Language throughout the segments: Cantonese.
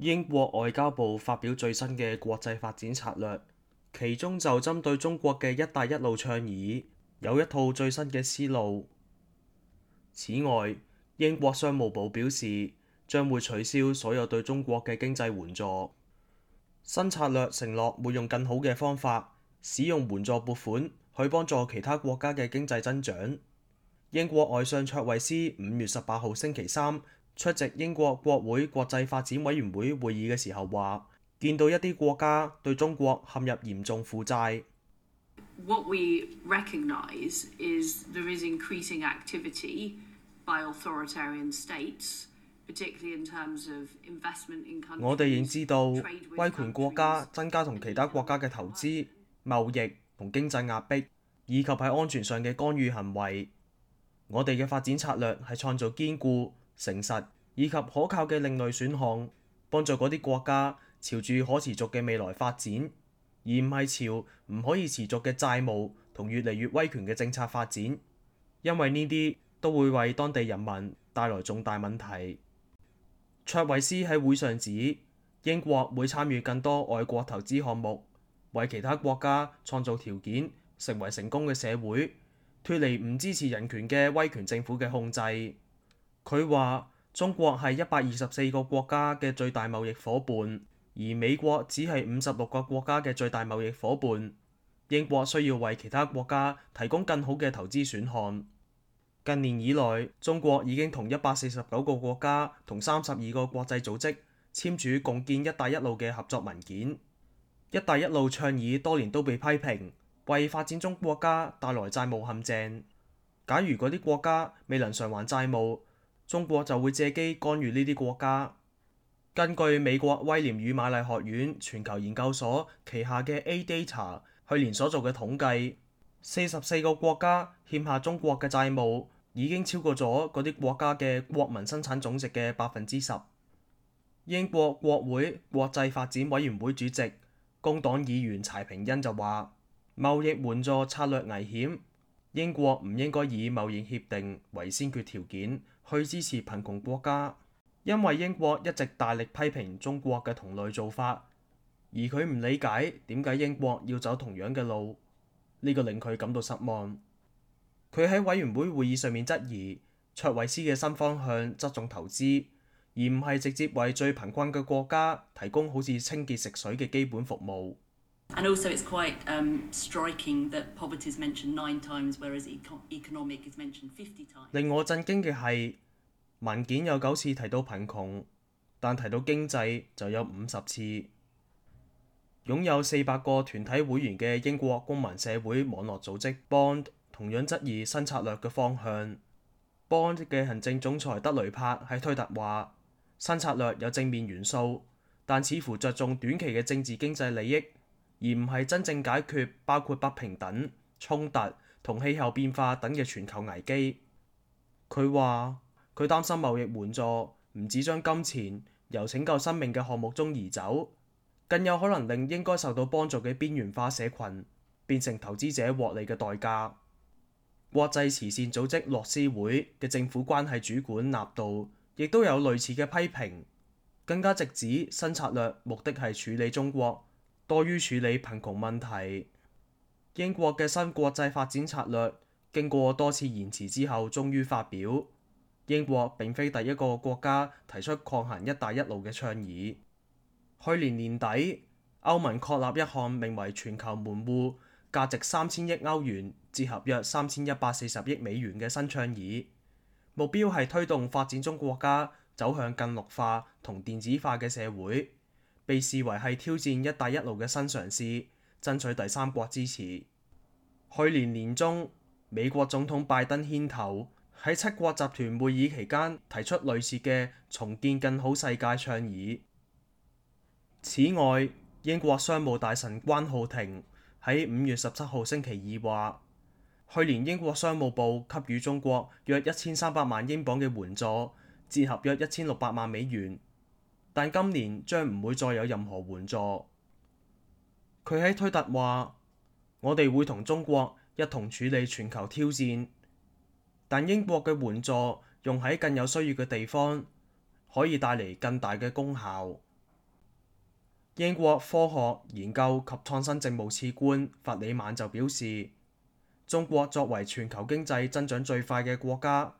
英國外交部發表最新嘅國際發展策略，其中就針對中國嘅「一帶一路」倡議有一套最新嘅思路。此外，英國商務部表示將會取消所有對中國嘅經濟援助。新策略承諾會用更好嘅方法使用援助撥款去幫助其他國家嘅經濟增長。英國外相卓慧思5月18號星期三出席英國國會國際發展委員會會議嘅時候話，見到一啲國家對中國陷入嚴重負債。What we recognise is there is increasing activity by authoritarian states, particularly in terms of investment in countries. 我哋認知到威權國家增加同其他國家嘅投資、貿易同經濟壓迫，以及喺安全上嘅干預行為。我哋嘅發展策略係創造堅固、誠實以及可靠嘅另類選項，幫助嗰啲國家朝住可持續嘅未來發展，而唔係朝唔可以持續嘅債務同越嚟越威權嘅政策發展，因為呢啲都會為當地人民帶來重大問題。卓慧思喺會上指，英國會參與更多外國投資項目，為其他國家創造條件，成為成功嘅社會，脫離唔支持人權嘅威權政府嘅控制。佢話中國係124個國家嘅最大貿易夥伴，而美國只係56個國家嘅最大貿易夥伴。英國需要為其他國家提供更好嘅投資選項。近年以來，中國已經同149個國家同32個國際組織簽署共建「一帶一路」嘅合作文件。一帶一路倡議多年都被批評，為發展中國家帶來債務陷阱。假如嗰啲國家未能償還債務，中國就會借機干預呢啲國家。根據美國威廉與瑪麗學院全球研究所旗下嘅 A-Data 去年所做嘅統計，44個國家欠下中國嘅債務已經超過咗嗰啲國家嘅國民生產總值嘅10%。英國國會國際發展委員會主席工黨議員柴平恩就話：貿易援助策略危險，英國唔應該以貿易協定為先決條件去支持貧窮國家，因為英國一直大力批評中國嘅同類做法，而佢唔理解點解英國要走同樣嘅路，呢個令佢感到失望。佢喺委員會會議上面質疑卓慧思嘅新方向側重投資，而唔係直接為最貧困嘅國家提供好似清潔食水嘅基本服務。And also it's quite striking that poverty is mentioned 9 times, whereas economic is mentioned 50 times. 令我震驚嘅係文件有9次提到貧窮，但提到經濟就有50次。擁有400個團體會員嘅英國公民社會網絡組織 Bond 同樣質疑新策略嘅方向。Bond 嘅行政總裁德雷柏喺推特話：新策略有正面元素，但似乎着重短期嘅政治經濟利益，而唔係真正解決包括不平等、衝突同氣候變化等嘅全球危機。佢話佢擔心貿易援助唔止將金錢由拯救生命嘅項目中移走，更有可能令應該受到幫助嘅邊緣化社群變成投資者獲利嘅代價。國際慈善組織樂施會嘅政府關係主管納道亦都有類似嘅批評，更加直指新策略目的係處理中國多於處理貧窮問題。英國嘅新國際發展策略經過多次延遲之後終於發表。英國並非第一個國家提出抗衡一帶一路嘅倡議。去年年底，歐盟確立一項名為全球門戶，價值3000億歐元，折合約3140億美元嘅新倡議，目標係推動發展中國家走向更綠化同電子化嘅社會，被視為係挑戰一帶一路嘅新嘗試，爭取第三國支持。去年年中，美國總統拜登牽頭喺7國集團會議期間提出類似嘅重建更好世界倡議。此外，英國商務大臣關浩庭喺5月17號星期二話，去年英國商務部給予中國約1300萬英鎊嘅援助，折合約1600萬美元，但今年將唔會再有任何援助。佢喺推特話：我哋會同中國一同處理全球挑戰，但英國嘅援助用喺更有需要嘅地方，可以帶嚟更大嘅功效。英國科學研究及創新政務次官弗里曼就表示，中國作為全球經濟增長最快嘅國家，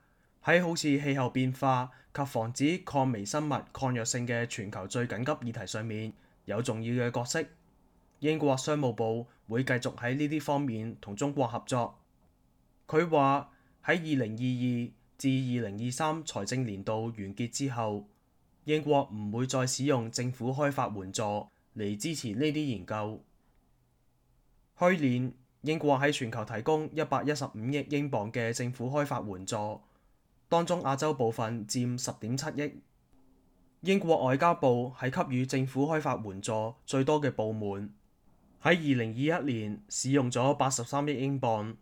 喺好似氣候變化及防止抗微生物抗藥性嘅全球最緊急議題上面有重要嘅角色。英國商務部會繼續喺呢啲方面同中國合作。佢話喺2022至2023財政年度完結之後，英國唔會再使用政府開發援助嚟支持呢啲研究。去年英國喺全球提供115億英鎊嘅政府開發援助，當中亞洲部分佔10.7億。英國外交部係給予政府開發援助最多嘅部門，喺2021年使用咗83億英鎊。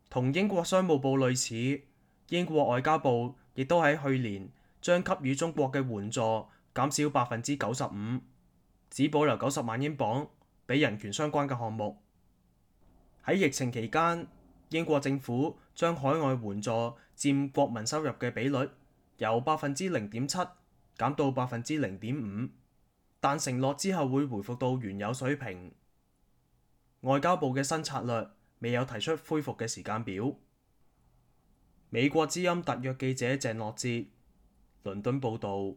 同英國商務部類似，英國外交部亦都喺去年將給予中國嘅援助減少95%，只保留90萬英鎊俾人權相關嘅項目。喺疫情期間，英國政府將海外援助佔國民收入嘅比率由0.7%減到0.5%，但承諾之後會回復到原有水平。外交部嘅新策略未有提出恢復嘅時間表。美國之音特約記者鄭樂哲，倫敦報導。